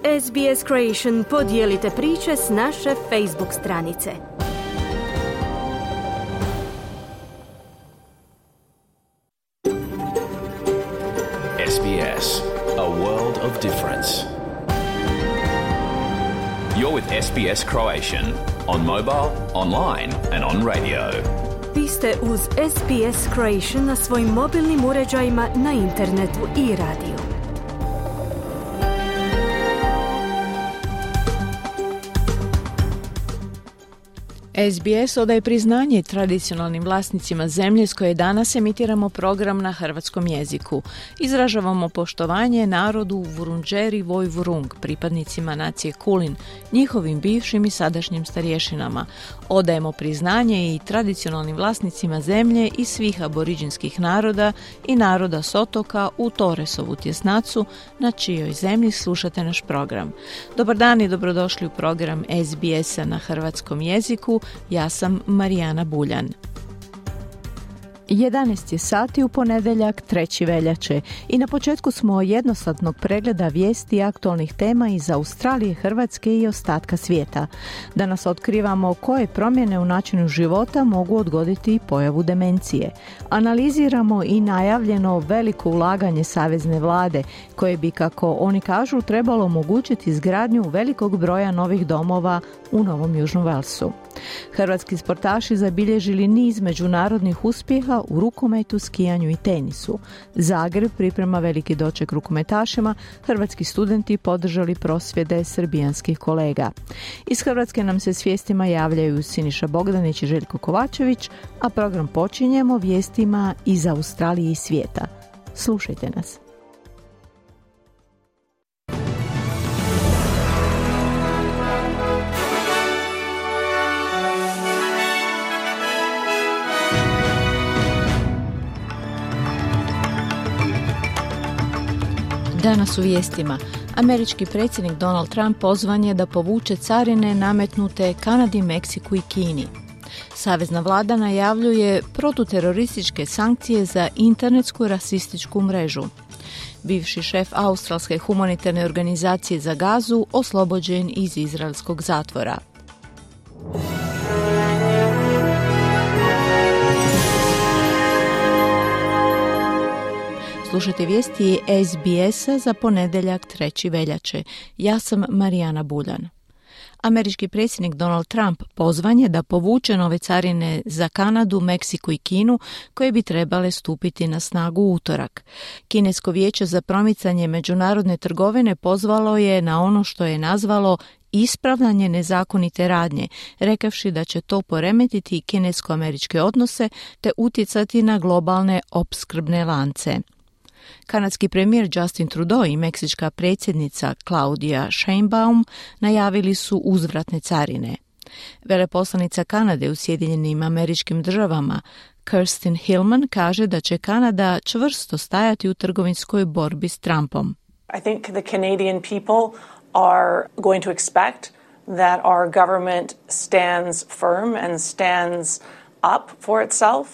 SBS Creation podijelite priče s naše Facebook stranice. SBS, a world of difference. You're with SBS Croatian on mobile, online and on radio. Vi ste uz SBS Croatian na svojim mobilnim uređajima, na internetu i radiju. SBS odaje priznanje tradicionalnim vlasnicima zemlje s koje danas emitiramo program na hrvatskom jeziku. Izražavamo poštovanje narodu Vurundjeri Woi-wurrung, pripadnicima nacije Kulin, njihovim bivšim i sadašnjim starješinama. Odajemo priznanje i tradicionalnim vlasnicima zemlje i svih aboriđinskih naroda i naroda s otoka u Torresovu tjesnacu, na čijoj zemlji slušate naš program. Dobar dan i dobrodošli u program SBS-a na hrvatskom jeziku. Ja sam Marijana Buljan. 11 je sati u ponedjeljak 3. veljače i na početku smo jednosatnog pregleda vijesti i aktualnih tema iz Australije, Hrvatske i ostatka svijeta. Danas otkrivamo koje promjene u načinu života mogu odgoditi pojavu demencije. Analiziramo i najavljeno veliko ulaganje savezne vlade koje bi, kako oni kažu, trebalo omogućiti izgradnju velikog broja novih domova u Novom Južnom Velsu. Hrvatski sportaši zabilježili niz međunarodnih uspjeha u rukometu, skijanju i tenisu. Zagreb priprema veliki doček rukometašima, hrvatski studenti podržali prosvjede srbijanskih kolega. Iz Hrvatske nam se s vijestima javljaju Siniša Bogdanić i Željko Kovačević, a program počinjemo vijestima iz Australije i svijeta. Slušajte nas. Danas u vijestima. Američki predsjednik Donald Trump pozvan je da povuče carine nametnute Kanadi, Meksiku i Kini. Savezna vlada najavljuje protuterorističke sankcije za internetsku rasističku mrežu. Bivši šef australske humanitarne organizacije za Gazu oslobođen iz izraelskog zatvora. Slušajte vijesti SBS-a za ponedjeljak 3. veljače. Ja sam Marijana Buljan. Američki predsjednik Donald Trump pozvan je da povuče nove carine za Kanadu, Meksiku i Kinu koje bi trebale stupiti na snagu u utorak. Kinesko vijeće za promicanje međunarodne trgovine pozvalo je na ono što je nazvalo ispravljanje nezakonite radnje, rekavši da će to poremetiti kinesko-američke odnose te utjecati na globalne opskrbne lance. Kanadski premijer Justin Trudeau i meksička predsjednica Claudia Sheinbaum najavili su uzvratne carine. Veleposlanica Kanade u Sjedinjenim Američkim Državama Kirsten Hillman kaže da će Kanada čvrsto stajati u trgovinskoj borbi s Trumpom. I think the Canadian people are going to expect that our government stands firm and stands up for itself.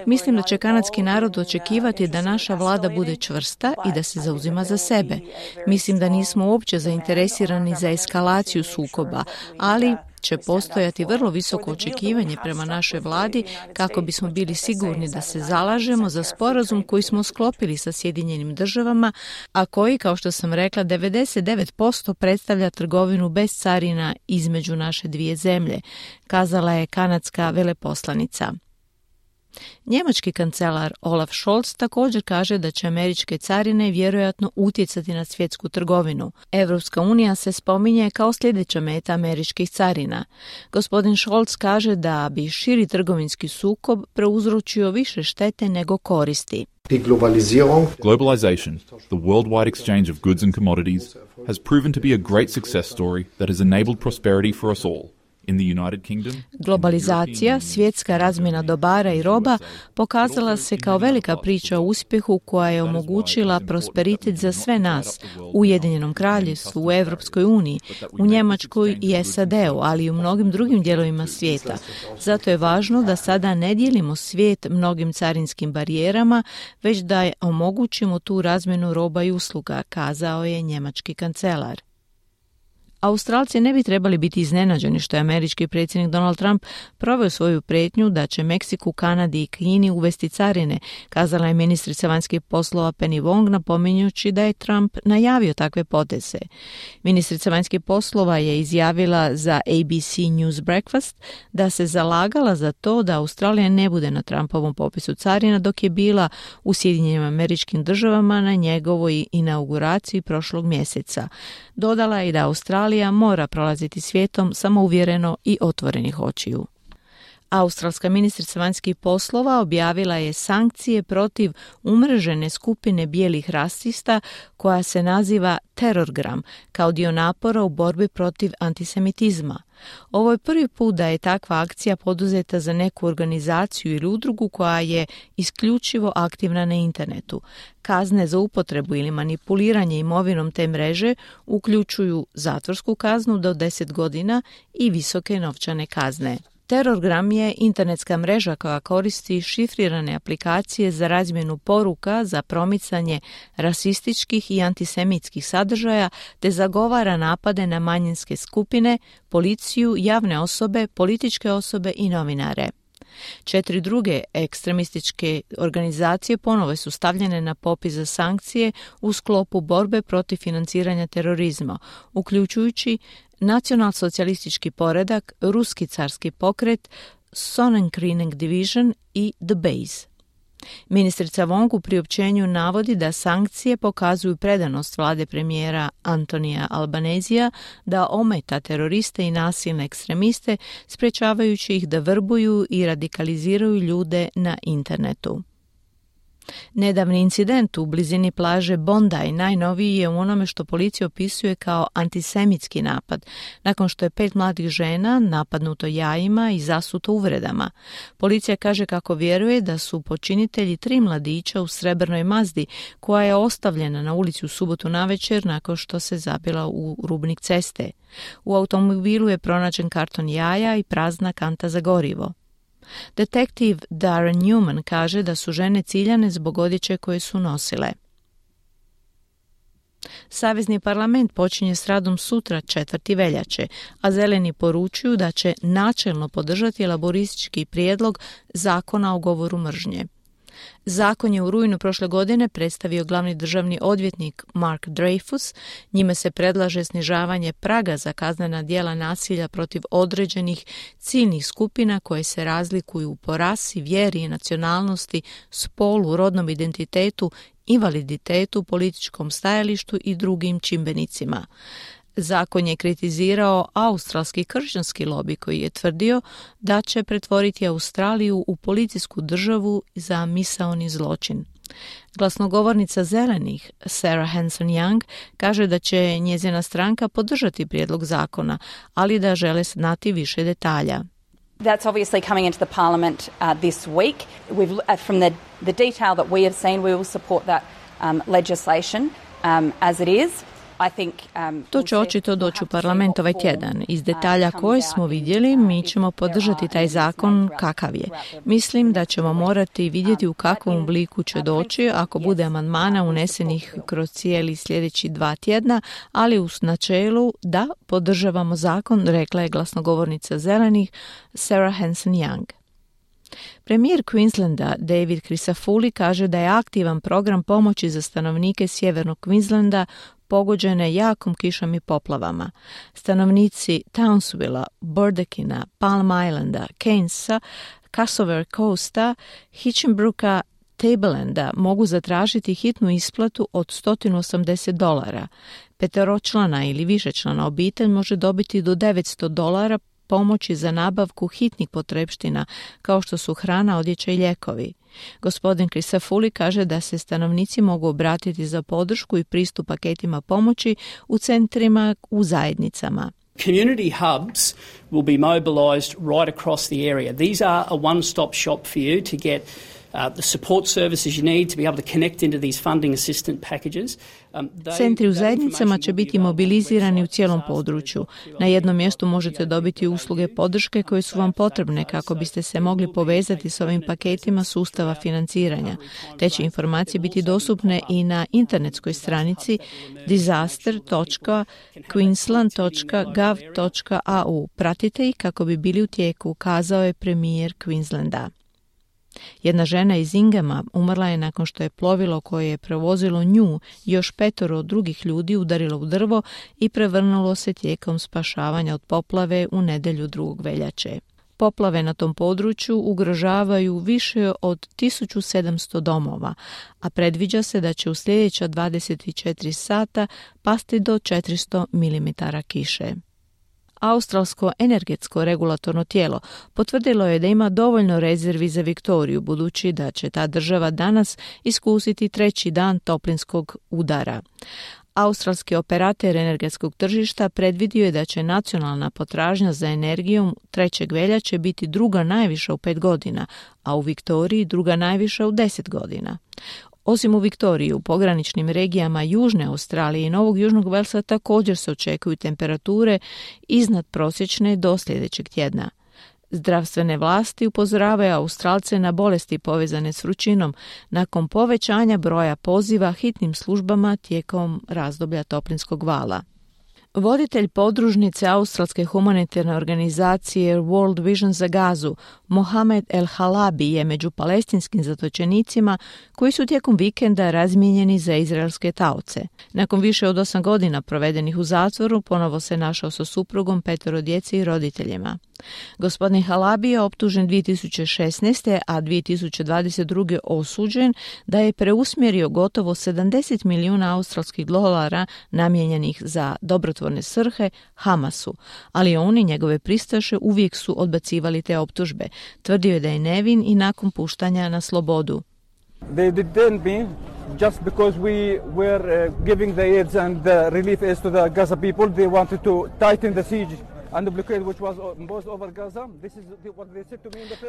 Mislim da će kanadski narod očekivati da naša vlada bude čvrsta i da se zauzima za sebe. Mislim da nismo uopće zainteresirani za eskalaciju sukoba, ali će postojati vrlo visoko očekivanje prema našoj vladi kako bismo bili sigurni da se zalažemo za sporazum koji smo sklopili sa Sjedinjenim Državama, a koji, kao što sam rekla, 99% predstavlja trgovinu bez carina između naše dvije zemlje, kazala je kanadska veleposlanica. Njemački kancelar Olaf Scholz također kaže da će američke carine vjerojatno utjecati na svjetsku trgovinu. Europska unija se spominje kao sljedeća meta američkih carina. Gospodin Scholz kaže da bi širi trgovinski sukob prouzročio više štete nego koristi. Globalization, the worldwide exchange of goods and commodities, has proven to be a great success story that has enabled prosperity for us all. Globalizacija, svjetska razmjena dobara i roba, pokazala se kao velika priča o uspjehu koja je omogućila prosperitet za sve nas u Ujedinjenom Kraljevstvu, u Europskoj uniji, u Njemačkoj i SAD-u, ali i u mnogim drugim dijelovima svijeta. Zato je važno da sada ne dijelimo svijet mnogim carinskim barijerama, već da omogućimo tu razmjenu roba i usluga, kazao je njemački kancelar. Australci ne bi trebali biti iznenađeni što je američki predsjednik Donald Trump proveo svoju prijetnju da će Meksiku, Kanadi i Kini uvesti carine, kazala je ministrica vanjskih poslova Penny Wong, napominjući da je Trump najavio takve poteze. Ministrica vanjskih poslova je izjavila za ABC News Breakfast da se zalagala za to da Australija ne bude na Trumpovom popisu carina dok je bila u Sjedinjenim Američkim Državama na njegovoj inauguraciji prošlog mjeseca. Dodala je da Australija mora prolaziti svijetom samouvjereno i otvorenih očiju. Australska ministrica vanjskih poslova objavila je sankcije protiv umrežene skupine bijelih rasista koja se naziva Terorgram kao dio napora u borbi protiv antisemitizma. Ovo je prvi put da je takva akcija poduzeta za neku organizaciju ili udrugu koja je isključivo aktivna na internetu. Kazne za upotrebu ili manipuliranje imovinom te mreže uključuju zatvorsku kaznu do 10 godina i visoke novčane kazne. Terorgram je internetska mreža koja koristi šifrirane aplikacije za razmjenu poruka za promicanje rasističkih i antisemitskih sadržaja te zagovara napade na manjinske skupine, policiju, javne osobe, političke osobe i novinare. 4 druge ekstremističke organizacije ponovo su stavljene na popis za sankcije u sklopu borbe protiv financiranja terorizma, uključujući Nacionalsocijalistički poredak, Ruski carski pokret, Sonnenkrieg Division i The Base. Ministrica Wong u priopćenju navodi da sankcije pokazuju predanost vlade premijera Antonija Albanezija da ometa teroriste i nasilne ekstremiste, sprečavajući ih da vrbuju i radikaliziraju ljude na internetu. Nedavni incident u blizini plaže Bondi najnoviji je u onome što policija opisuje kao antisemitski napad, nakon što je 5 mladih žena napadnuto jajima i zasuto uvredama. Policija kaže kako vjeruje da su počinitelji 3 mladića u srebrnoj Mazdi, koja je ostavljena na ulici u subotu navečer nakon što se zabila u rubnik ceste. U automobilu je pronađen karton jaja i prazna kanta za gorivo. Detektiv Darren Newman kaže da su žene ciljane zbog odjeće koje su nosile. Savezni parlament počinje s radom sutra 4. veljače, a zeleni poručuju da će načelno podržati laboristički prijedlog zakona o govoru mržnje. Zakon je u rujnu prošle godine predstavio glavni državni odvjetnik Mark Dreyfus. Njime se predlaže snižavanje praga za kaznena djela nasilja protiv određenih ciljnih skupina koje se razlikuju po rasi, vjeri, nacionalnosti, spolu, rodnom identitetu, invaliditetu, političkom stajalištu i drugim čimbenicima. Zakon je kritizirao australski kršćanski lobi koji je tvrdio da će pretvoriti Australiju u policijsku državu za misaoni zločin. Glasnogovornica zelenih, Sarah Hanson-Young, kaže da će njezina stranka podržati prijedlog zakona, ali da žele znati više detalja. That's obviously coming into the parliament this week. From the detail that we have seen, we will support that legislation as it is. To će očito doći u parlament ovaj tjedan. Iz detalja koje smo vidjeli, mi ćemo podržati taj zakon kakav je. Mislim da ćemo morati vidjeti u kakvom obliku će doći ako bude amandmana unesenih kroz cijeli sljedeći 2 tjedna, ali u načelu da podržavamo zakon, rekla je glasnogovornica zelenih Sarah Hanson-Young. Premijer Queenslanda David Crisafulli kaže da je aktivan program pomoći za stanovnike sjevernog Queenslanda pogođene jakom kišom i poplavama. Stanovnici Townsvilla, Burdekina, Palm Islanda, Keynesa, Cassowary Coasta, Hitchinbrooka, Tablelanda mogu zatražiti hitnu isplatu od $180. Peteročlana ili višečlana obitelj može dobiti do $900 pomoći za nabavku hitnih potrepština, kao što su hrana, odjeća i lijekovi. Gospodin Crisafulli kaže da se stanovnici mogu obratiti za podršku i pristup paketima pomoći u centrima u zajednicama. Community hubs will be mobilised right across the area. These are a one-stop shop for you to get the support services you need to be able to connect into these funding assistance packages. Centri u zajednicama će biti mobilizirani u cijelom području. Na jednom mjestu možete dobiti usluge podrške koje su vam potrebne kako biste se mogli povezati s ovim paketima sustava financiranja. Te će informacije biti dostupne i na internetskoj stranici disaster.queensland.gov.au. Pratite ih kako bi bili u tijeku, kazao je premijer Queenslanda. Jedna žena iz Inghama umrla je nakon što je plovilo koje je prevozilo nju i još 5 drugih ljudi udarilo u drvo i prevrnulo se tijekom spašavanja od poplave u nedjelju 2. veljače. Poplave na tom području ugrožavaju više od 1700 domova, a predviđa se da će u sljedeća 24 sata pasti do 400 mm kiše. Australsko energetsko regulatorno tijelo potvrdilo je da ima dovoljno rezervi za Viktoriju, budući da će ta država danas iskusiti 3. dan toplinskog udara. Australski operater energetskog tržišta predvidio je da će nacionalna potražnja za energijom 3. veljače biti druga najviša u 5 godina, a u Viktoriji druga najviša u 10 godina. Osim u Viktoriji, u pograničnim regijama Južne Australije i Novog Južnog Velsa također se očekuju temperature iznad prosječne do sljedećeg tjedna. Zdravstvene vlasti upozoravaju Australce na bolesti povezane s vrućinom nakon povećanja broja poziva hitnim službama tijekom razdoblja toplinskog vala. Voditelj podružnice australske humanitarne organizacije World Vision za Gazu, Mohamed El Halabi, je među palestinskim zatočenicima koji su tijekom vikenda razmijenjeni za izraelske taoce. Nakon više od 8 godina provedenih u zatvoru, ponovo se našao sa suprugom, 5 djece i roditeljima. Gospodin Halabi je optužen 2016. a 2022. osuđen da je preusmjerio gotovo 70 milijuna australskih dolara namijenjenih za dobrotvorne svrhe Hamasu, ali on i njegove pristaše uvijek su odbacivali te optužbe. Tvrdio je da je nevin i nakon puštanja na slobodu. They detained me just because we were giving the aids and the relief aids to the Gaza people. They wanted to tighten the siege.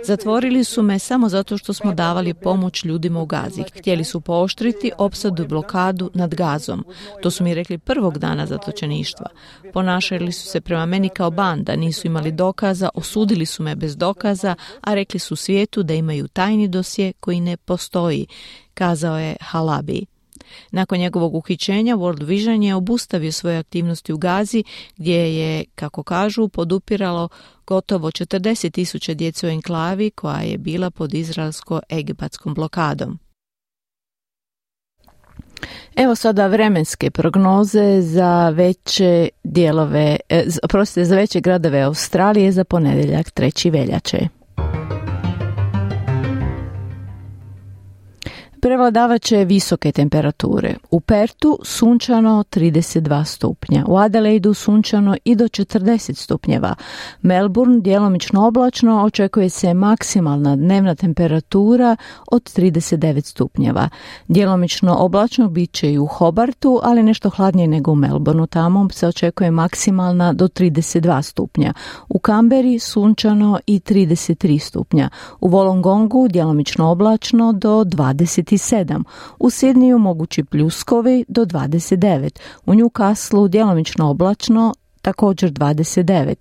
Zatvorili su me samo zato što smo davali pomoć ljudima u Gazi. Htjeli su pooštriti opsadu i blokadu nad Gazom. To su mi rekli prvog dana zatočeništva. Ponašali su se prema meni kao banda, nisu imali dokaza, osudili su me bez dokaza, a rekli su svijetu da imaju tajni dosje koji ne postoji, kazao je Halabi. Nakon njegovog uhićenja World Vision je obustavio svoje aktivnosti u Gazi, gdje je, kako kažu, podupiralo gotovo 40,000 djece u enklavi koja je bila pod izraelsko-egipatskom blokadom. Evo sada vremenske prognoze za veće dijelove, za veće gradove Australije za ponedjeljak 3. veljače. Prevladavat će visoke temperature. U Pertu sunčano 32 stupnja, u Adelaidu sunčano i do 40 stupnjeva. Melbourne djelomično oblačno, očekuje se maksimalna dnevna temperatura od 39 stupnjeva. Djelomično oblačno bit će i u Hobartu, ali nešto hladnije nego u Melbourneu, tamo se očekuje maksimalna do 32 stupnja. U Canberri sunčano i 33 stupnja. U Wollongongu djelomično oblačno do 27. U Sidneyu mogući pljuskovi do 29. U Newcastleu djelomično oblačno također 29.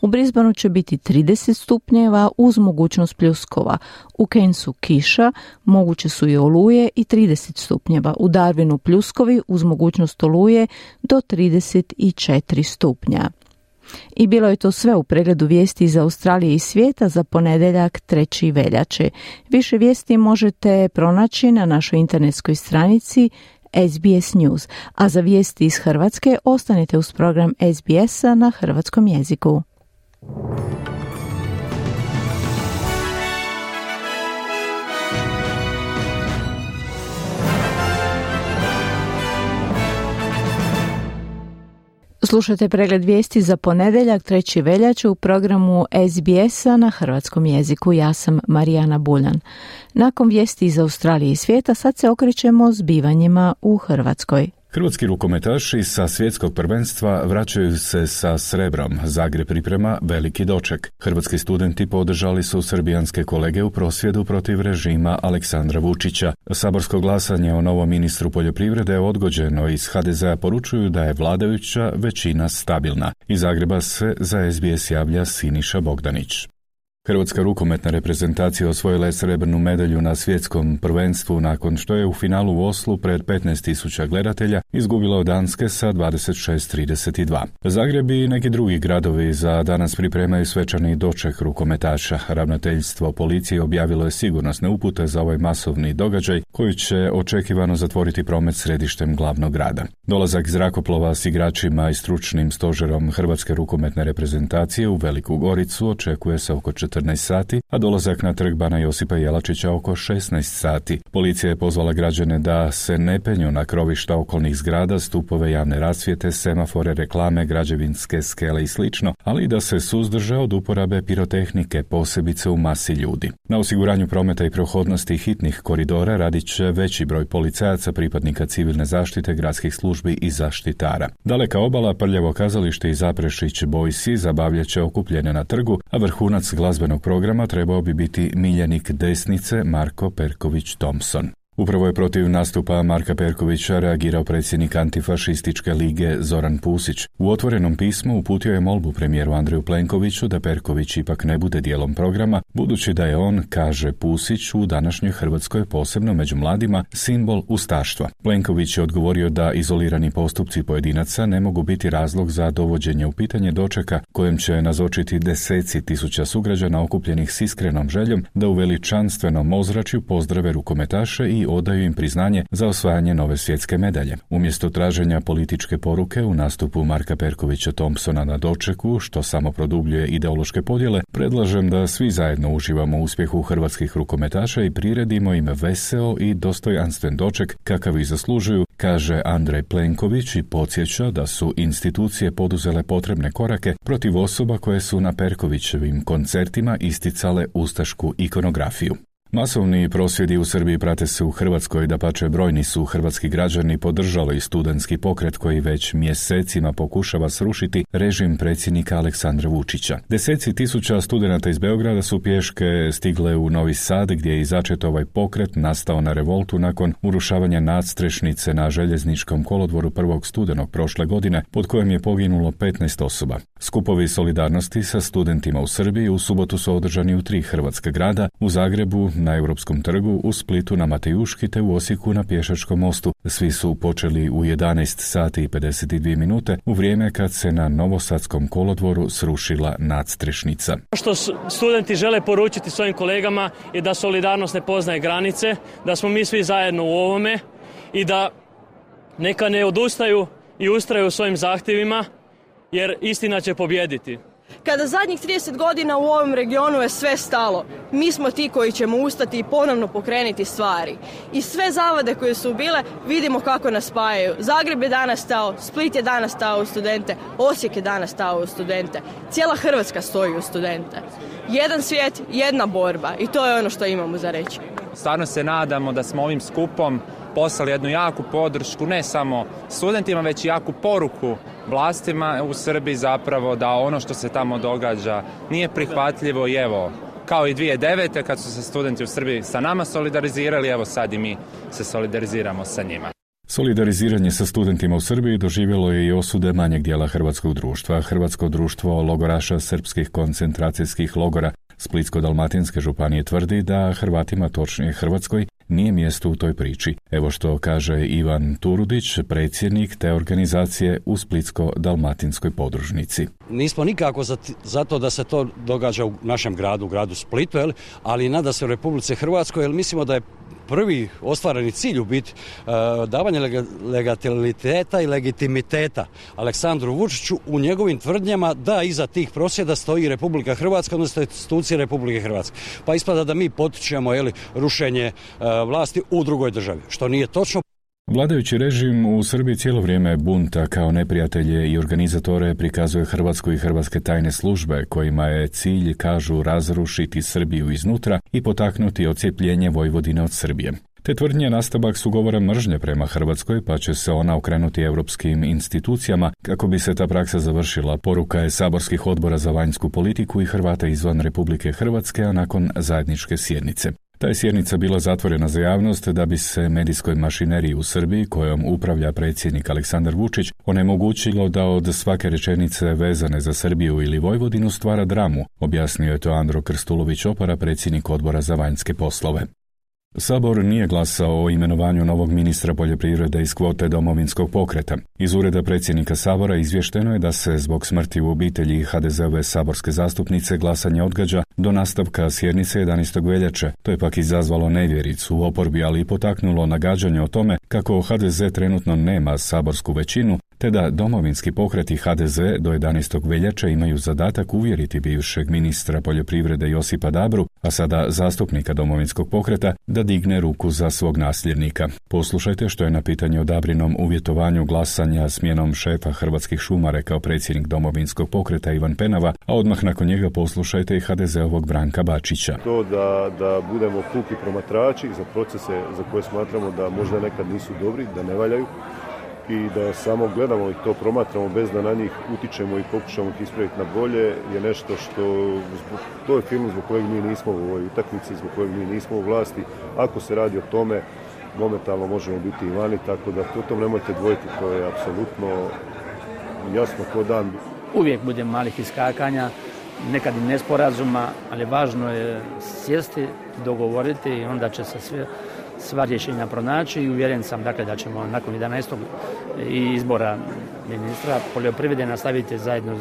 U Brisbaneu će biti 30 stupnjeva uz mogućnost pljuskova. U Cairnsu kiša, moguće su i oluje i 30 stupnjeva. U Darwinu pljuskovi uz mogućnost oluje do 34 stupnja. I bilo je to sve u pregledu vijesti iz Australije i svijeta za ponedjeljak 3. veljače. Više vijesti možete pronaći na našoj internetskoj stranici SBS News, a za vijesti iz Hrvatske ostanite uz program SBS-a na hrvatskom jeziku. Slušajte pregled vijesti za ponedjeljak 3. veljače u programu SBS-a na hrvatskom jeziku. Ja sam Marijana Buljan. Nakon vijesti iz Australije i svijeta sad se okrećemo zbivanjima u Hrvatskoj. Hrvatski rukometaši sa svjetskog prvenstva vraćaju se sa srebrom. Zagreb priprema veliki doček. Hrvatski studenti podržali su srbijanske kolege u prosvjedu protiv režima Aleksandra Vučića. Saborsko glasanje o novom ministru poljoprivrede je odgođeno. Iz HDZ-a poručuju da je vladajuća većina stabilna. Iz Zagreba se za SBS javlja Siniša Bogdanić. Hrvatska rukometna reprezentacija osvojila je srebrnu medalju na svjetskom prvenstvu nakon što je u finalu u Oslu pred 15.000 gledatelja izgubila od Danske sa 26:32. Zagreb i neki drugi gradovi za danas pripremaju svečani doček rukometaša. Ravnateljstvo policije objavilo je sigurnosne upute za ovaj masovni događaj koji će očekivano zatvoriti promet središtem glavnog grada. Dolazak zrakoplova s igračima i stručnim stožerom Hrvatske rukometne reprezentacije u Veliku Goricu očekuje se oko 14 sati, a dolazak na trg Bana Josipa Jelačića oko 16 sati. Policija je pozvala građane da se ne penju na krovišta okolnih zgrada, stupove javne rasvjete, semafore, reklame, građevinske skele i slično, ali i da se suzdrže od uporabe pirotehnike, posebice u masi ljudi. Na osiguranju prometa i prohodnosti hitnih koridora radit će veći broj policajaca, pripadnika civilne zaštite, gradskih službi i zaštitara. Daleka obala, Prljavo kazalište i Zaprešić Bojsi zabavljat će okupljene na trgu, a vrhunac glazbenog programa trebao bi biti miljenik desnice Marko Perković Thompson. Upravo je protiv nastupa Marka Perkovića reagirao predsjednik Antifašističke lige Zoran Pusić. U otvorenom pismu uputio je molbu premijeru Andreju Plenkoviću da Perković ipak ne bude dijelom programa, budući da je on, kaže Pusić, u današnjoj Hrvatskoj, posebno među mladima, simbol ustaštva. Plenković je odgovorio da izolirani postupci pojedinaca ne mogu biti razlog za dovođenje u pitanje dočeka kojem će nazočiti deseci tisuća sugrađana okupljenih s iskrenom željom da u veličanstvenom ozračju pozdrave rukometaše i odaju im priznanje za osvajanje nove svjetske medalje. Umjesto traženja političke poruke u nastupu Marka Perkovića Thompsona na dočeku, što samo produbljuje ideološke podjele, predlažem da svi zajedno uživamo u uspjehu hrvatskih rukometaša i priredimo im veseo i dostojanstven doček kakav ih zaslužuju, kaže Andrej Plenković i podsjeća da su institucije poduzele potrebne korake protiv osoba koje su na Perkovićevim koncertima isticale ustašku ikonografiju. Masovni prosvjedi u Srbiji prate se u Hrvatskoj, dapače brojni su hrvatski građani podržali studentski pokret koji već mjesecima pokušava srušiti režim predsjednika Aleksandra Vučića. Deseci tisuća studenata iz Beograda su pješke stigle u Novi Sad gdje je začet ovaj pokret nastao na revoltu nakon urušavanja nadstrešnice na željezničkom kolodvoru 1. studenog prošle godine pod kojem je poginulo 15 osoba. Skupovi solidarnosti sa studentima u Srbiji u subotu su održani u 3 hrvatska grada, u Zagrebu, na Europskom trgu, u Splitu na Matejuški te u Osijeku na Pješačkom mostu. Svi su počeli u 11 sati i 52 minute u vrijeme kad se na Novosadskom kolodvoru srušila nadstrešnica. Što studenti žele poručiti svojim kolegama je da solidarnost ne poznaje granice, da smo mi svi zajedno u ovome i da neka ne odustaju i ustraju u svojim zahtjevima jer istina će pobijediti. Kada zadnjih 30 godina u ovom regionu je sve stalo, mi smo ti koji ćemo ustati i ponovno pokrenuti stvari. I sve zavade koje su bile, vidimo kako nas spajaju. Zagreb je danas stao, Split je danas stao u studente, Osijek je danas stao u studente. Cijela Hrvatska stoji u studente. Jedan svijet, jedna borba i to je ono što imamo za reći. Stvarno se nadamo da smo ovim skupom poslali jednu jaku podršku ne samo studentima, već i jaku poruku vlastima u Srbiji zapravo da ono što se tamo događa nije prihvatljivo i evo, kao i 2009. kad su se studenti u Srbiji sa nama solidarizirali, evo sad i mi se solidariziramo sa njima. Solidariziranje sa studentima u Srbiji doživjelo je i osude manjeg dijela hrvatskog društva. Hrvatsko društvo logoraša srpskih koncentracijskih logora Splitsko-dalmatinske županije tvrdi da Hrvatima, točnije Hrvatskoj, nije mjesto u toj priči. Evo što kaže Ivan Turudić, predsjednik te organizacije u Splitsko-dalmatinskoj podružnici. Nismo nikako za to da se to događa u našem gradu, gradu Splitu, ali nada se u Republici Hrvatskoj, jer mislimo da je prvi ostvareni cilj u biti davanje legaliteta i legitimiteta Aleksandru Vučiću u njegovim tvrdnjama da iza tih prosvjeda stoji Republika Hrvatska, odnosno institucije Republike Hrvatske. Pa ispada da mi potičemo rušenje vlasti u drugoj državi, što nije točno. Vladajući režim u Srbiji cijelo vrijeme bunta kao neprijatelje i organizatore prikazuje Hrvatsku i hrvatske tajne službe, kojima je cilj, kažu, razrušiti Srbiju iznutra i potaknuti odcijepljenje Vojvodine od Srbije. Te tvrdnje nastavak su govora mržnje prema Hrvatskoj, pa će se ona okrenuti europskim institucijama kako bi se ta praksa završila. Poruka je saborskih odbora za vanjsku politiku i Hrvata izvan Republike Hrvatske, a nakon zajedničke sjednice. Ta je sjednica bila zatvorena za javnost da bi se medijskoj mašineriji u Srbiji, kojom upravlja predsjednik Aleksandar Vučić, onemogućilo da od svake rečenice vezane za Srbiju ili Vojvodinu stvara dramu, objasnio je to Andro Krstulović-Opara, predsjednik odbora za vanjske poslove. Sabor nije glasao o imenovanju novog ministra poljoprivrede iz kvote Domovinskog pokreta. Iz ureda predsjednika Sabora izvješteno je da se zbog smrti u obitelji HDZ-ove saborske zastupnice glasanje odgađa do nastavka sjednice 11. veljače. To je pak izazvalo nevjericu u oporbi, ali i potaknulo nagađanje o tome kako HDZ trenutno nema saborsku većinu, te da Domovinski pokret i HDZ do 11. veljače imaju zadatak uvjeriti bivšeg ministra poljoprivrede Josipa Dabru, a sada zastupnika Domovinskog pokreta, da digne ruku za svog nasljednika. Poslušajte što je na pitanje o Dabrinom uvjetovanju glasanja smjenom šefa Hrvatskih šuma rekao predsjednik Domovinskog pokreta Ivan Penava, a odmah nakon njega poslušajte i HDZ-ovog Branka Bačića. To da budemo puki promatrači za procese za koje smatramo da možda nekad nisu dobri, da ne valjaju, i da samo gledamo i to promatramo bez da na njih utičemo i pokušamo ih ispraviti na bolje, je nešto što, to je film zbog kojeg mi nismo u ovoj utakmici, zbog kojeg mi nismo u vlasti. Ako se radi o tome, momentalno možemo biti i vani, tako da o tom nemojte dvojiti, to je apsolutno jasno ko dan. Uvijek bude malih iskakanja, nekad i nesporazuma, ali važno je sjesti, dogovoriti i onda će se sva rješenja pronaći i uvjeren sam dakle, da ćemo nakon 11. izbora ministra poljoprivrede nastaviti zajedno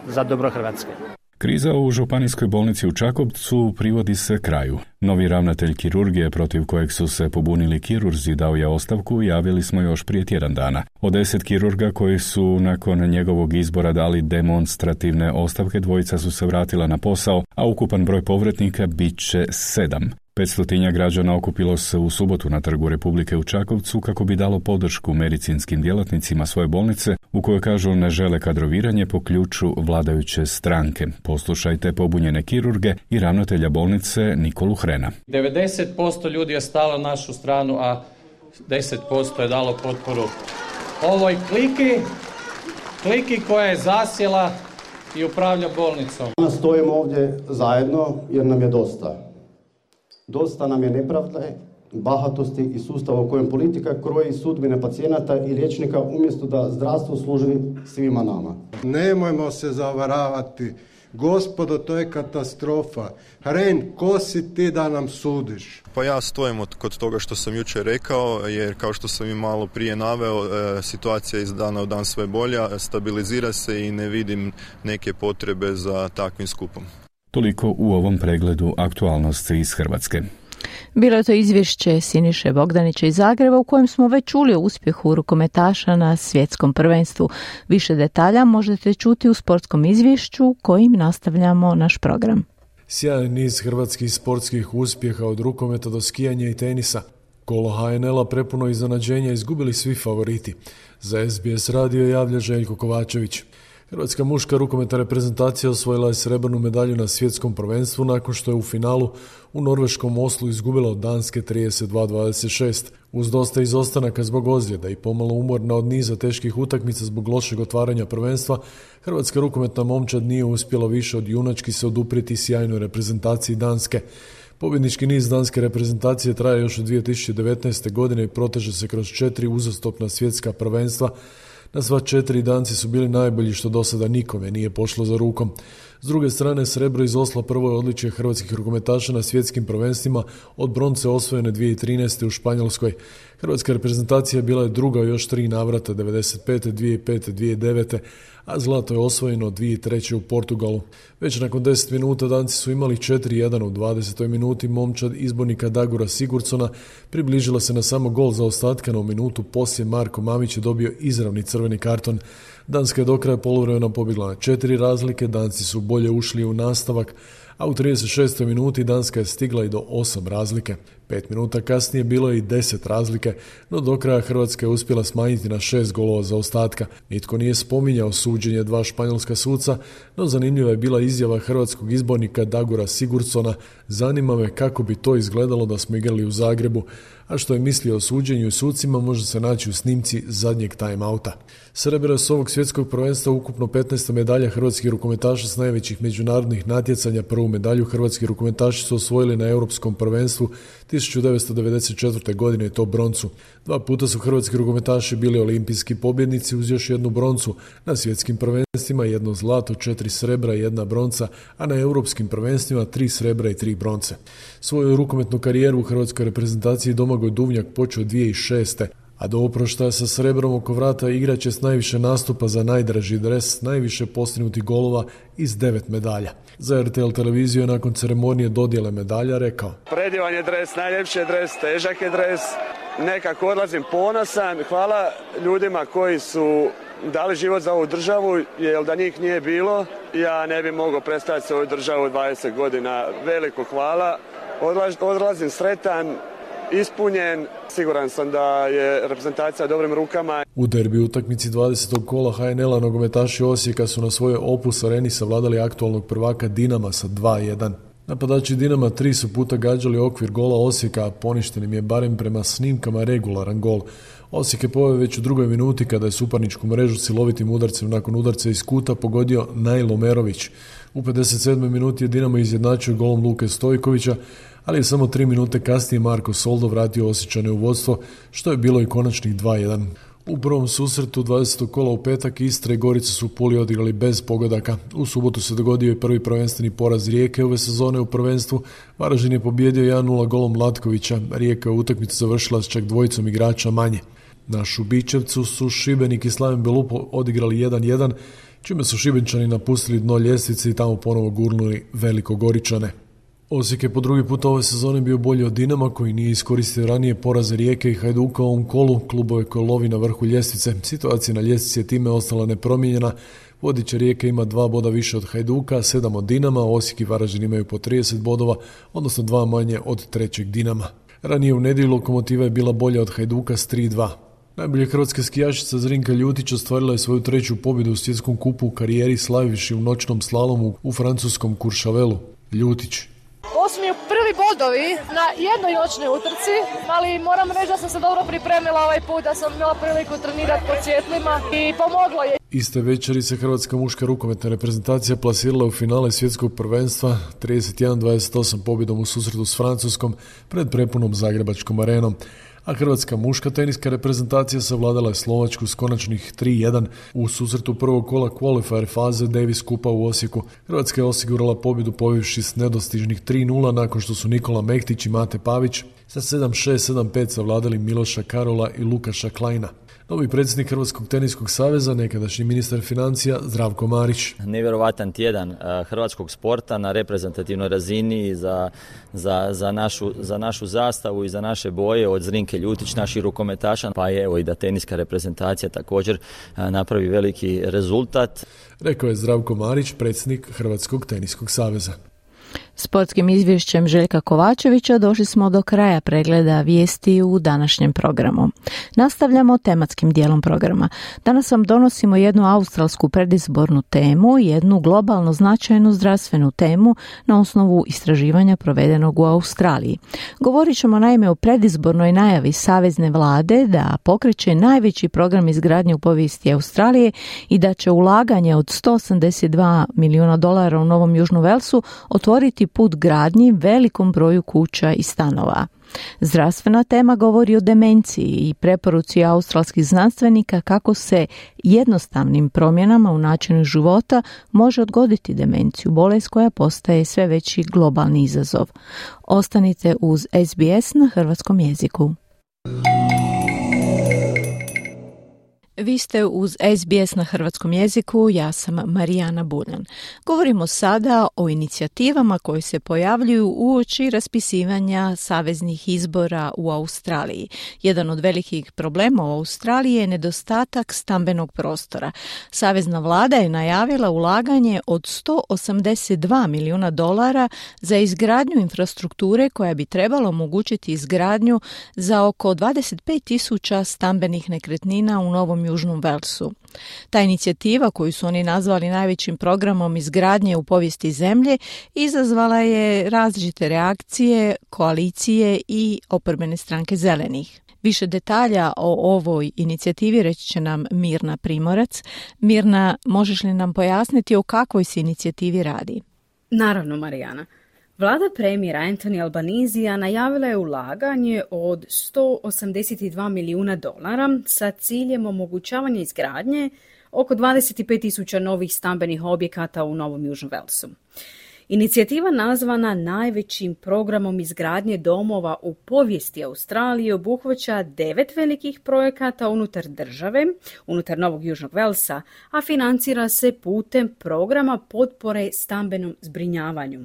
za dobro Hrvatske. Kriza u županijskoj bolnici u Čakovcu privodi se kraju. Novi ravnatelj kirurgije protiv kojeg su se pobunili kirurzi dao je ostavku, javili smo još prije tjedan dana. Od 10 kirurga koji su nakon njegovog izbora dali demonstrativne ostavke, dvojica su se vratila na posao, a ukupan broj povratnika bit će 7. 500 građana okupilo se u subotu na Trgu Republike u Čakovcu kako bi dalo podršku medicinskim djelatnicima svoje bolnice, u kojoj kažu ne žele kadroviranje po ključu vladajuće stranke. Poslušajte pobunjene kirurge i ravnatelja bolnice Nikolu Hrena. 90% ljudi je stalo na našu stranu, a 10% je dalo potporu ovoj kliki koja je zasjela i upravlja bolnicom. Danas stojimo ovdje zajedno jer nam je dosta. Dosta nam je nepravde, bahatosti i sustava u kojem politika kroji sudbine pacijenata i liječnika umjesto da zdravstvo služi svima nama. Nemojmo se zavaravati. Gospodo, to je katastrofa. Hren, ko si ti da nam sudiš? Pa ja stojim kod toga što sam jučer rekao, jer kao što sam i malo prije naveo, situacija iz dana u dan sve bolja, stabilizira se i ne vidim neke potrebe za takvim skupom. Toliko u ovom pregledu aktualnosti iz Hrvatske. Bilo je to izvješće Siniše Bogdanića iz Zagreba u kojem smo već čuli o uspjehu rukometaša na svjetskom prvenstvu. Više detalja možete čuti u sportskom izvješću kojim nastavljamo naš program. Sjajan niz hrvatskih sportskih uspjeha od rukometa do skijanja i tenisa. Kolo HNL-a prepuno iznenađenja izgubili svi favoriti. Za SBS radio javlja Željko Kovačević. Hrvatska muška rukometna reprezentacija osvojila je srebrnu medalju na svjetskom prvenstvu nakon što je u finalu u norveškom Oslu izgubila od Danske 32-26. Uz dosta izostanaka zbog ozljeda i pomalo umorna od niza teških utakmica zbog lošeg otvaranja prvenstva, hrvatska rukometna momčad nije uspjela više od junački se oduprijeti sjajnoj reprezentaciji Danske. Pobjednički niz danske reprezentacije traje još od 2019. godine i proteže se kroz 4 uzastopna svjetska prvenstva. Na sva 4 Danci su bili najbolji što do sada nikome nije pošlo za rukom. S druge strane, srebro iz Osla prvo je odličje hrvatskih rukometaša na svjetskim prvenstvima od bronce osvojene 2013. u Španjolskoj. Hrvatska reprezentacija bila je druga u još 3 navrata, 95., 2005., 2009., a zlato je osvojeno 2003. u Portugalu. Već nakon 10 minuta Danci su imali 4-1 u 20. minuti. Momčad izbornika Dagura Sigurdsona približila se na samo gol zaostatka, no minutu poslije Marko Mamić je dobio izravni crveni karton. Danska je do kraja poluvremena pobjegla na 4 razlike, Danci su bolje ušli u nastavak, a u 36. minuti Danska je stigla i do 8 razlike. 5 minuta kasnije bilo je i 10 razlike, no do kraja Hrvatska je uspjela smanjiti na 6 golova zaostatka. Nitko nije spominjao suđenje 2 španjolska suca, no zanimljiva je bila izjava hrvatskog izbornika Dagora Sigurdsona: zanima me kako bi to izgledalo da smo igrali u Zagrebu, a što je mislio o suđenju i sucima može se naći u snimci zadnjeg time-outa. Srebro je s ovog svjetskog prvenstva ukupno 15. medalja hrvatskih rukometaša s najvećih međunarodnih natjecanja. Prvu medalju hrvatski rukometaši su osvojili na Europskom prvenstvu 1994. godine i to broncu. 2 puta su hrvatski rukometaši bili olimpijski pobjednici uz još 1 broncu. Na svjetskim prvenstvima 1 zlato, 4 srebra i 1 bronca, a na europskim prvenstvima 3 srebra i 3 bronce. Svoju rukometnu karijeru u hrvatskoj reprezentaciji Domagoj Duvnjak počeo 2006. a do oproštaja sa srebrom oko vrata igrač je s najviše nastupa za najdraži dres, najviše postignutih golova iz 9 medalja. Za RTL televiziju je nakon ceremonije dodjele medalja rekao: predivan je dres, najljepši je dres, težak je dres, nekako odlazim ponosan. Hvala ljudima koji su dali život za ovu državu, jer da njih nije bilo, ja ne bi mogao predstaviti svoju državu 20 godina. Veliko hvala, odlazim sretan, ispunjen, siguran sam da je reprezentacija u dobrim rukama. U derbi utakmici 20. kola HNL-a nogometaši Osijeka su na svojoj Opus areni savladali aktualnog prvaka Dinama sa 2:1. Napadači Dinama 3 su puta gađali okvir gola Osijeka, a poništen im je barem prema snimkama regularan gol. Osijek je poveo već u 2. minuti kada je suparničku mrežu silovitim udarcem nakon udarca iz kuta pogodio Najlo Merović. U 57. minuti je Dinamo izjednačio golom Luke Stojkovića, ali je samo 3 minute kasnije Marko Soldo vratio Osječane u vodstvo, što je bilo i konačnih 2:1. U prvom susretu 20. kola u petak Istra i Gorica su u Puli odigrali bez pogodaka. U subotu se dogodio i prvi prvenstveni poraz Rijeke ove sezone u prvenstvu. Varaždin je pobijedio 1:0 golom Latkovića. Rijeka je utakmicu završila s čak 2 igrača manje. Na Šubićevcu su Šibenik i Slaven Belupo odigrali 1:1, čime su Šibenčani napustili dno ljestvice i tamo ponovo gurnuli Velikogoričane. Osijek je po 2. put ove sezone bio bolji od Dinama, koji nije iskoristio ranije poraze Rijeke i Hajduka u ovom kolu. Klubove koje lovi na vrhu ljestvice. Situacija na ljestvici je time ostala nepromijenjena. Vodiča Rijeke ima 2 boda više od Hajduka, 7 od Dinama, Osijek i Varaždin imaju po 30 bodova, odnosno 2 manje od trećeg Dinama. Ranije u nedjelju Lokomotiva je bila bolja od Hajduka s 3:2. Najbolja hrvatska skijašica Zrinka Ljutić ostvarila je svoju 3. pobjedu u svjetskom kupu u karijeri slavivši u noćnom slalomu u francuskom Courchevelu. Ljutić: ovo su mi prvi bodovi na jednoj noćnoj utrci, ali moram reći da sam se dobro pripremila ovaj put, da sam imala priliku trenirati pod svjetlima i pomoglo je. Iste večeri se hrvatska muška rukometna reprezentacija plasirala u finale svjetskog prvenstva 31-28 pobjedom u susretu s Francuskom pred prepunom Zagrebačkom arenom. A hrvatska muška teniska reprezentacija savladala je Slovačku s konačnih 3:1 u susretu prvog kola qualifier faze Davis Kupa u Osijeku. Hrvatska je osigurala pobjedu pobjevši s nedostižnih 3:0 nakon što su Nikola Mektić i Mate Pavić sa 7-6, 7-5 savladali Miloša Karola i Lukaša Kleina. Novi predsjednik Hrvatskog teniskog saveza, nekadašnji ministar financija Zdravko Marić: nevjerovatan tjedan hrvatskog sporta na reprezentativnoj razini za našu zastavu i za naše boje od Zrinke Ljutić, naših rukometaša, pa je evo i da teniska reprezentacija također napravi veliki rezultat. Rekao je Zdravko Marić, predsjednik Hrvatskog teniskog saveza. Sportskim izvješćem Željka Kovačevića došli smo do kraja pregleda vijesti u današnjem programu. Nastavljamo tematskim dijelom programa. Danas vam donosimo jednu australsku predizbornu temu i jednu globalno značajnu zdravstvenu temu na osnovu istraživanja provedenog u Australiji. Govorit ćemo naime o predizbornoj najavi savezne vlade da pokreće najveći program izgradnje u povijesti Australije i da će ulaganje od $182 milijuna u Novom Južnom Velsu otvoriti put gradnji velikom broju kuća i stanova. Zdravstvena tema govori o demenciji i preporuci australskih znanstvenika kako se jednostavnim promjenama u načinu života može odgoditi demenciju, bolest koja postaje sve veći globalni izazov. Ostanite uz SBS na hrvatskom jeziku. Vi ste uz SBS na hrvatskom jeziku, ja sam Marijana Buljan. Govorimo sada o inicijativama koje se pojavljuju uoči raspisivanja saveznih izbora u Australiji. Jedan od velikih problema u Australiji je nedostatak stambenog prostora. Savezna vlada je najavila ulaganje od $182 milijuna za izgradnju infrastrukture koja bi trebala omogućiti izgradnju za oko 25.000 stambenih nekretnina u Novom Južnom Velsu. Ta inicijativa, koju su oni nazvali najvećim programom izgradnje u povijesti zemlje, izazvala je različite reakcije, koalicije i oporbene stranke zelenih. Više detalja o ovoj inicijativi reći će nam Mirna Primorac. Mirna, možeš li nam pojasniti o kakvoj se inicijativi radi? Naravno, Marijana. Vlada premijera Anthony Albanizija najavila je ulaganje od $182 milijuna sa ciljem omogućavanja izgradnje oko 25.000 novih stambenih objekata u Novom Južnom Velsu. Inicijativa nazvana najvećim programom izgradnje domova u povijesti Australije obuhvaća 9 velikih projekata unutar države, unutar Novog Južnog Velsa, a financira se putem programa potpore stambenom zbrinjavanju.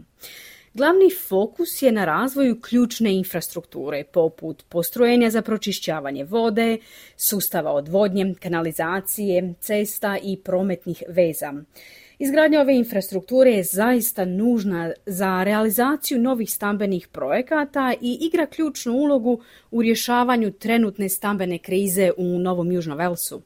Glavni fokus je na razvoju ključne infrastrukture, poput postrojenja za pročišćavanje vode, sustava odvodnje, kanalizacije, cesta i prometnih veza. Izgradnja ove infrastrukture je zaista nužna za realizaciju novih stambenih projekata i igra ključnu ulogu u rješavanju trenutne stambene krize u Novom Južnom Velsu.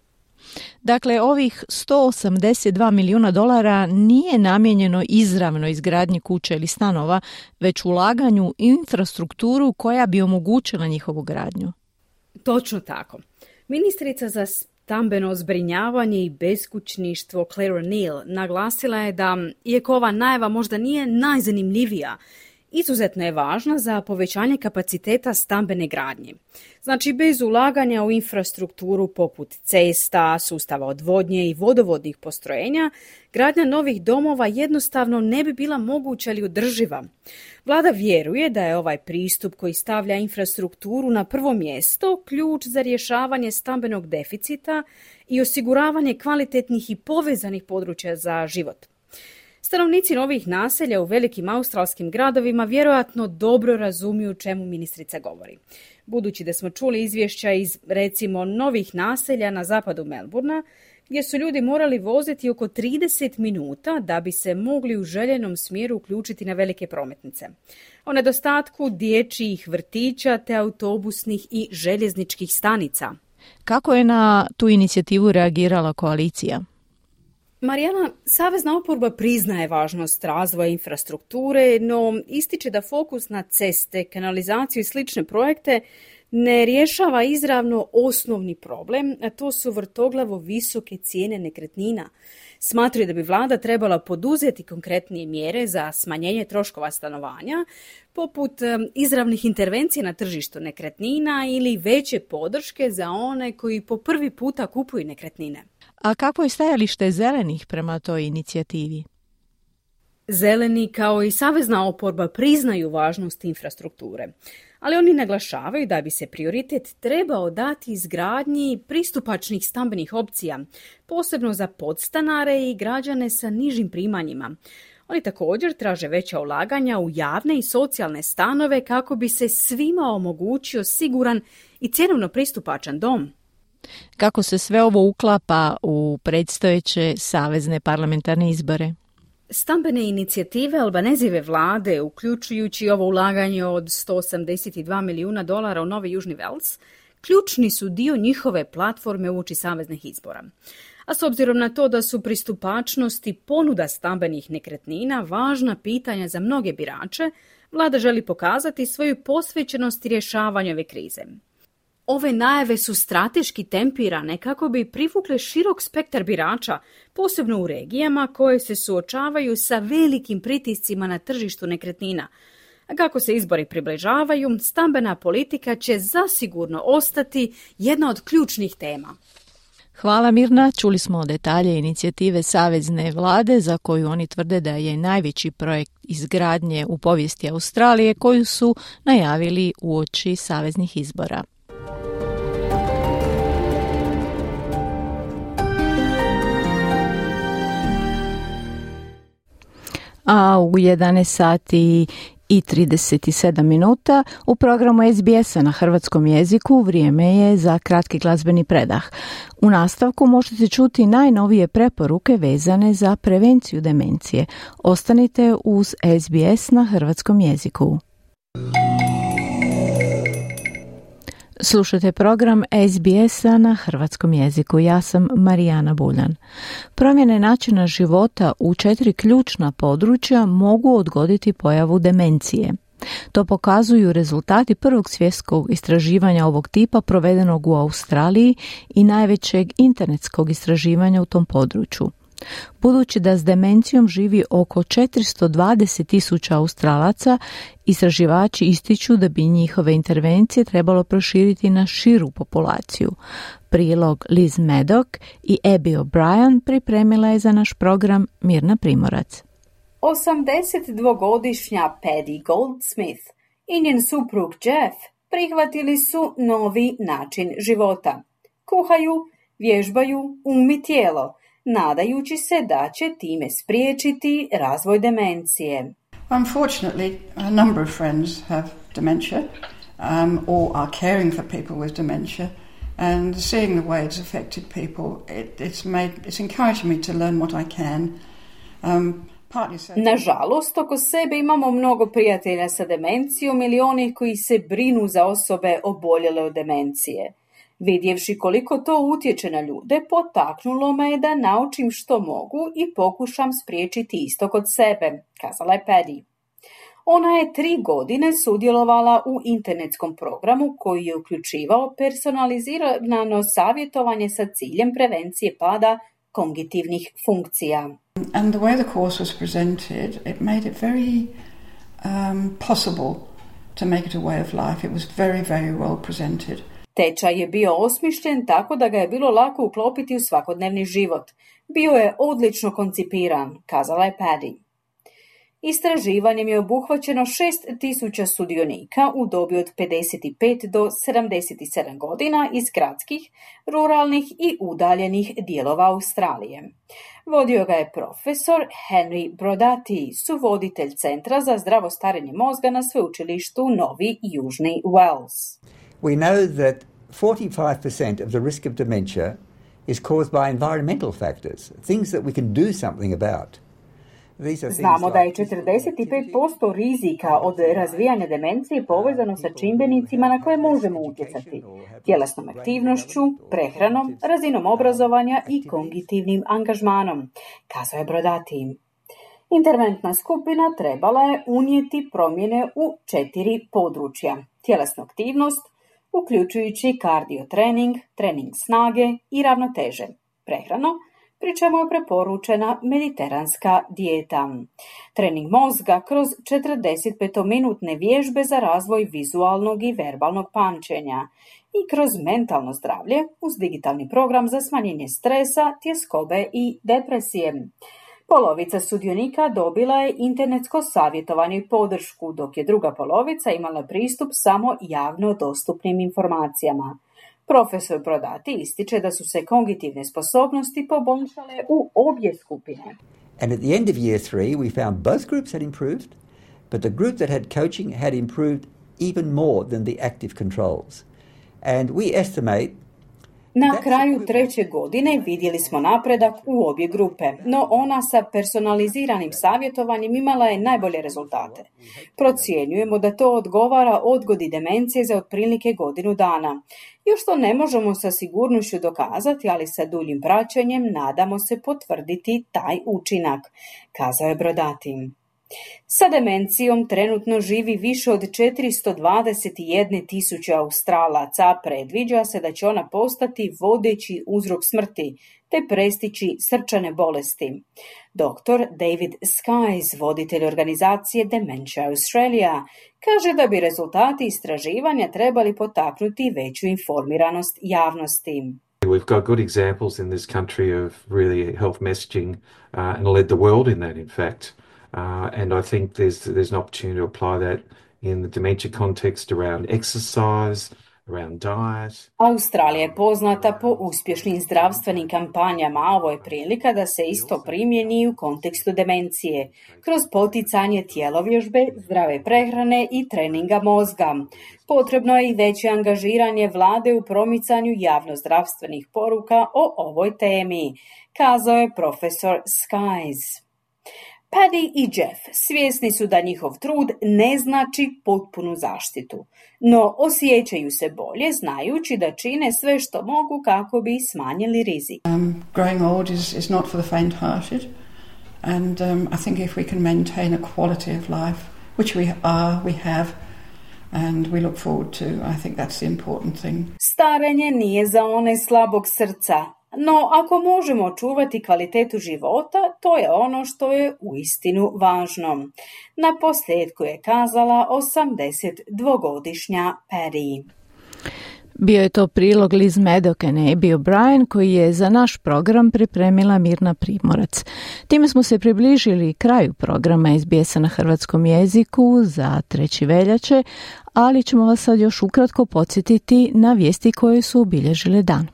Dakle, ovih $182 milijuna nije namijenjeno izravno izgradnji kuće ili stanova, već ulaganju u infrastrukturu koja bi omogućila njihovu gradnju. Točno tako. Ministrica za stambeno zbrinjavanje i beskućništvo Claire O'Neill naglasila je da, iako ova najava možda nije najzanimljivija, izuzetno je važna za povećanje kapaciteta stambene gradnje. Znači, bez ulaganja u infrastrukturu poput cesta, sustava odvodnje i vodovodnih postrojenja, gradnja novih domova jednostavno ne bi bila moguća ili održiva. Vlada vjeruje da je ovaj pristup koji stavlja infrastrukturu na prvo mjesto ključ za rješavanje stambenog deficita i osiguravanje kvalitetnih i povezanih područja za život. Stanovnici novih naselja u velikim australskim gradovima vjerojatno dobro razumiju čemu ministrica govori. Budući da smo čuli izvješća iz, recimo, novih naselja na zapadu Melbourna, gdje su ljudi morali voziti oko 30 minuta da bi se mogli u željenom smjeru uključiti na velike prometnice. O nedostatku dječjih vrtića te autobusnih i željezničkih stanica. Kako je na tu inicijativu reagirala koalicija? Marijana, savezna oporba priznaje važnost razvoja infrastrukture, no ističe da fokus na ceste, kanalizaciju i slične projekte ne rješava izravno osnovni problem, a to su vrtoglavo visoke cijene nekretnina. Smatraju da bi vlada trebala poduzeti konkretnije mjere za smanjenje troškova stanovanja, poput izravnih intervencija na tržištu nekretnina ili veće podrške za one koji po prvi puta kupuju nekretnine. A kako je stajalište zelenih prema toj inicijativi? Zeleni kao i savezna oporba priznaju važnost infrastrukture, ali oni naglašavaju da bi se prioritet trebao dati izgradnji pristupačnih stambenih opcija, posebno za podstanare i građane sa nižim primanjima. Oni također traže veća ulaganja u javne i socijalne stanove kako bi se svima omogućio siguran i cjenovno pristupačan dom. Kako se sve ovo uklapa u predstojeće savezne parlamentarne izbore? Stambene inicijative Albanezijeve vlade, uključujući ovo ulaganje od $182 milijuna u Novi Južni Vels, ključni su dio njihove platforme uoči saveznih izbora. A s obzirom na to da su pristupačnost i ponuda stambenih nekretnina važna pitanja za mnoge birače, vlada želi pokazati svoju posvećenost rješavanju ove krize. Ove najave su strateški tempirane kako bi privukle širok spektar birača, posebno u regijama koje se suočavaju sa velikim pritiscima na tržištu nekretnina. A kako se izbori približavaju, stambena politika će zasigurno ostati jedna od ključnih tema. Hvala Mirna, čuli smo detalje inicijative savezne vlade za koju oni tvrde da je najveći projekt izgradnje u povijesti Australije koju su najavili uoči saveznih izbora. A u 11 sati i 37 minuta u programu SBS-a na hrvatskom jeziku vrijeme je za kratki glazbeni predah. U nastavku možete čuti najnovije preporuke vezane za prevenciju demencije. Ostanite uz SBS na hrvatskom jeziku. Slušajte program SBS-a na hrvatskom jeziku. Ja sam Marijana Buljan. Promjene načina života u 4 ključna područja mogu odgoditi pojavu demencije. To pokazuju rezultati prvog svjetskog istraživanja ovog tipa provedenog u Australiji i najvećeg internetskog istraživanja u tom području. Budući da s demencijom živi oko 420.000 Australaca, istraživači ističu da bi njihove intervencije trebalo proširiti na širu populaciju. Prilog Liz Maddock i Abby O'Brien pripremila je za naš program Mirna Primorac. 82-godišnja Paddy Goldsmith i njen suprug Jeff prihvatili su novi način života. Kuhaju, vježbaju i tijelo, nadajući se da će time spriječiti razvoj demencije. Unfortunately, a number of friends have dementia or are caring for people with dementia, and seeing the way it's affected people, it's encouraged me to learn what I can. Nažalost, oko sebe imamo mnogo prijatelja sa demencijom ili onih koji se brinu za osobe oboljele od demencije. Vidjevši koliko to utječe na ljude, potaknulo me je da naučim što mogu i pokušam spriječiti isto kod sebe, kazala je Paddy. Ona je 3 godine sudjelovala u internetskom programu koji je uključivao personalizirano savjetovanje sa ciljem prevencije pada kognitivnih funkcija. And the way the course was presented, it made it very possible to make it a way of life. It was very, very well presented. Tečaj je bio osmišljen tako da ga je bilo lako uklopiti u svakodnevni život. Bio je odlično koncipiran, kazala je Paddy. Istraživanjem je obuhvaćeno 6.000 sudionika u dobi od 55 do 77 godina iz gradskih, ruralnih i udaljenih dijelova Australije. Vodio ga je profesor Henry Brodati, suvoditelj Centra za zdravo starenje mozga na sveučilištu Novi Južni Wales. We know that 45% of the risk of dementia is caused by environmental factors, things that we can do something about. Znamo da je 45% rizika od razvijanja demencije povezano sa čimbenicima na koje možemo utjecati. Tjelesnom aktivnošću, prehranom, razinom obrazovanja i kognitivnim angažmanom, kazao je Brodati. Interventna skupina trebala je unijeti promjene u 4 područja. Tjelesnu aktivnost, uključujući kardiotrening, trening snage i ravnoteže, prehranu, pri čemu je preporučena mediteranska dijeta. Trening mozga kroz 45-minutne vježbe za razvoj vizualnog i verbalnog pamćenja i kroz mentalno zdravlje uz digitalni program za smanjenje stresa, tjeskobe i depresije. Polovica sudionika dobila je internetsko savjetovanje i podršku, dok je druga polovica imala pristup samo javno dostupnim informacijama. Profesor Brodati ističe da su se kognitivne sposobnosti poboljšale u obje skupine. And at the end of year 3, we found both groups had improved, but the group that had coaching had improved even more than the active controls. And we estimate Na kraju 3. godine vidjeli smo napredak u obje grupe, no ona sa personaliziranim savjetovanjem imala je najbolje rezultate. Procjenjujemo da to odgovara odgodi demencije za otprilike godinu dana. Još to ne možemo sa sigurnošću dokazati, ali sa duljim praćenjem nadamo se potvrditi taj učinak, kazao je Brodati. Sa demencijom trenutno živi više od 421.000 Australaca, predviđa se da će ona postati vodeći uzrok smrti te prestići srčane bolesti. Dr. David Skies, voditelj organizacije Dementia Australia, kaže da bi rezultati istraživanja trebali potaknuti veću informiranost javnosti. We've got good examples in this country of really health messaging and led the world in that, in fact. And I think there's an opportunity to apply that in the dementia context around exercise, around diet. Australija je poznata po uspješnim zdravstvenim kampanjama, a ovo je prilika da se isto primjeni u kontekstu demencije, kroz poticanje tjelovježbe, zdrave prehrane i treninga mozga. Potrebno je i veće angažiranje vlade u promicanju javnozdravstvenih poruka o ovoj temi, kazao je profesor Skies. Paddy i Jeff svjesni su da njihov trud ne znači potpunu zaštitu, no osjećaju se bolje znajući da čine sve što mogu kako bi smanjili rizik. Growing old is not for the faint-hearted, and I think if we can maintain a quality of life, which we have, and we look forward to, I think that's the important thing. Starenje nije za one slabog srca, no ako možemo čuvati kvalitetu života, to je ono što je uistinu važno. Na posljedku je kazala 82-godišnja Paddy. Bio je to prilog Liz Maddock and Abby O'Brien koji je za naš program pripremila Mirna Primorac. Time smo se približili kraju programa SBS-a na hrvatskom jeziku za 3. veljače, ali ćemo vas sad još ukratko podsjetiti na vijesti koje su obilježile dan.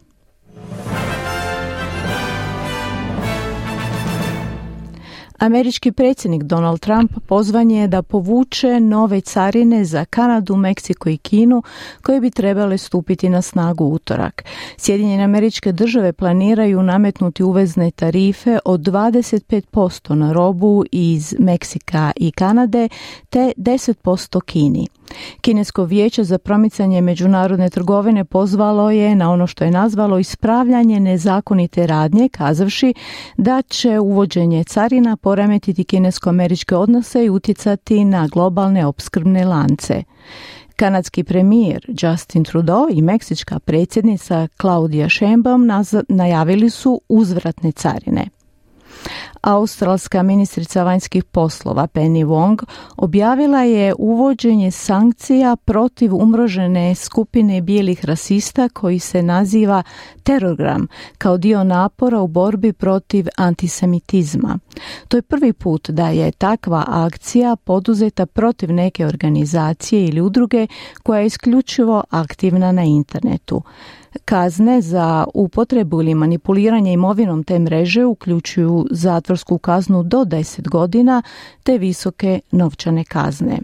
Američki predsjednik Donald Trump pozvan je da povuče nove carine za Kanadu, Meksiko i Kinu koje bi trebale stupiti na snagu u utorak. Sjedinjene Američke Države planiraju nametnuti uvezne tarife od 25% na robu iz Meksika i Kanade te 10% Kini. Kinesko vijeće za promicanje međunarodne trgovine pozvalo je na ono što je nazvalo ispravljanje nezakonite radnje, kazavši da će uvođenje carina poremetiti kinesko-američke odnose i utjecati na globalne opskrbne lance. Kanadski premijer Justin Trudeau i meksička predsjednica Claudia Sheinbaum najavili su uzvratne carine. Australska ministrica vanjskih poslova Penny Wong objavila je uvođenje sankcija protiv umrežene skupine bijelih rasista koji se naziva Terorgram kao dio napora u borbi protiv antisemitizma. To je prvi put da je takva akcija poduzeta protiv neke organizacije ili udruge koja je isključivo aktivna na internetu. Kazne za upotrebu ili manipuliranje imovinom te mreže uključuju zatvorsku kaznu do 10 godina te visoke novčane kazne.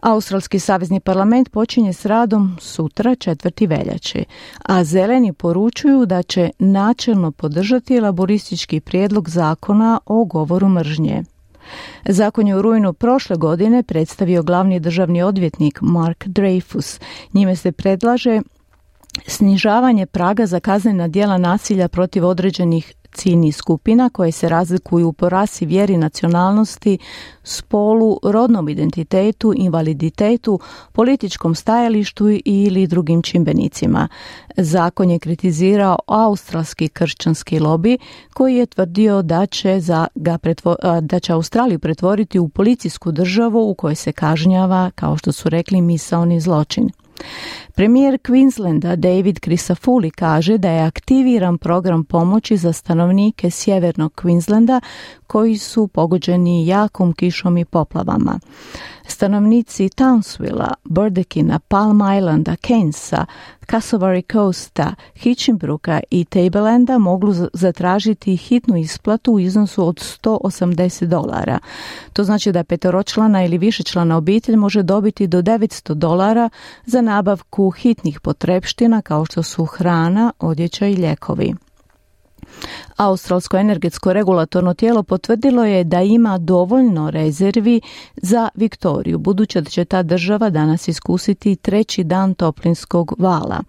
Australski savezni parlament počinje s radom sutra 4. veljače, a zeleni poručuju da će načelno podržati laboristički prijedlog zakona o govoru mržnje. Zakon je u rujnu prošle godine predstavio glavni državni odvjetnik Mark Dreyfus. Njime se predlaže snižavanje praga za kaznena djela nasilja protiv određenih ciljnih skupina koje se razlikuju po rasi, vjeri, nacionalnosti, spolu, rodnom identitetu, invaliditetu, političkom stajalištu ili drugim čimbenicima. Zakon je kritizirao australski kršćanski lobi koji je tvrdio da će Australiju pretvoriti u policijsku državu u kojoj se kažnjava, kao što su rekli, misaoni zločin. Premijer Queenslanda David Crisafulli kaže da je aktiviran program pomoći za stanovnike sjevernog Queenslanda koji su pogođeni jakom kišom i poplavama. Stanovnici Townsvilla, Burdekina, Palm Islanda, Cairnsa, Cassowary Coasta, Hitchinbrooka i Tablelanda mogu zatražiti hitnu isplatu u iznosu od $180. To znači da petoročlana ili višečlana obitelj može dobiti do $900 za nabavku hitnih potrepština kao što su hrana, odjeća i lijekovi. Australsko energetsko regulatorno tijelo potvrdilo je da ima dovoljno rezervi za Viktoriju, budući da će ta država danas iskusiti 3. dan toplinskog vala.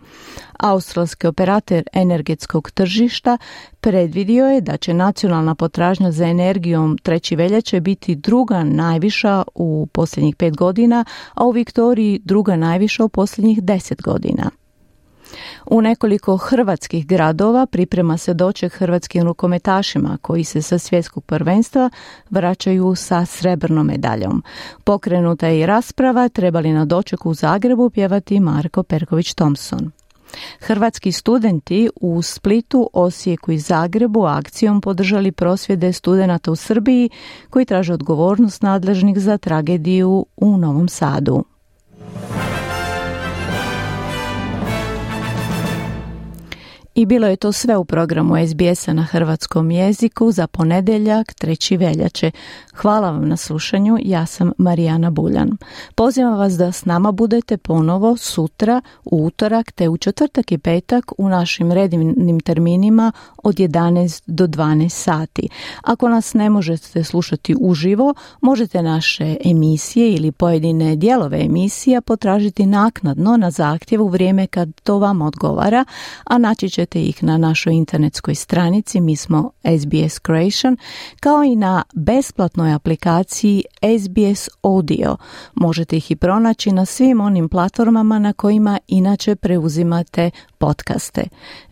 Australski operator energetskog tržišta predvidio je da će nacionalna potražnja za energijom 3. veljače biti druga najviša u posljednjih 5 godina, a u Viktoriji druga najviša u posljednjih 10 godina. U nekoliko hrvatskih gradova priprema se doček hrvatskim rukometašima koji se sa svjetskog prvenstva vraćaju sa srebrnom medaljom. Pokrenuta je i rasprava treba li na dočeku u Zagrebu pjevati Marko Perković-Thompson. Hrvatski studenti u Splitu, Osijeku i Zagrebu akcijom podržali prosvjede studenata u Srbiji koji traže odgovornost nadležnih za tragediju u Novom Sadu. I bilo je to sve u programu SBS-a na hrvatskom jeziku za ponedjeljak 3. veljače. Hvala vam na slušanju, ja sam Marijana Buljan. Pozivam vas da s nama budete ponovo sutra, u utorak te u četvrtak i petak u našim redovnim terminima od 11 do 12 sati. Ako nas ne možete slušati uživo, možete naše emisije ili pojedine dijelove emisija potražiti naknadno na zahtjev u vrijeme kad to vam odgovara, a naći ćete ih na našoj internetskoj stranici, mi smo SBS Croatian, kao i na besplatnoj aplikaciji SBS Audio. Možete ih i pronaći na svim onim platformama na kojima inače preuzimate podcaste.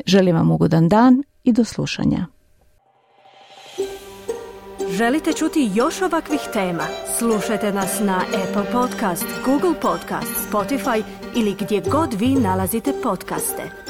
Želim vam ugodan dan i do slušanja. Želite čuti još ovakvih tema? Slušajte nas na Apple Podcast, Google Podcast, Spotify ili gdje god vi nalazite podcaste.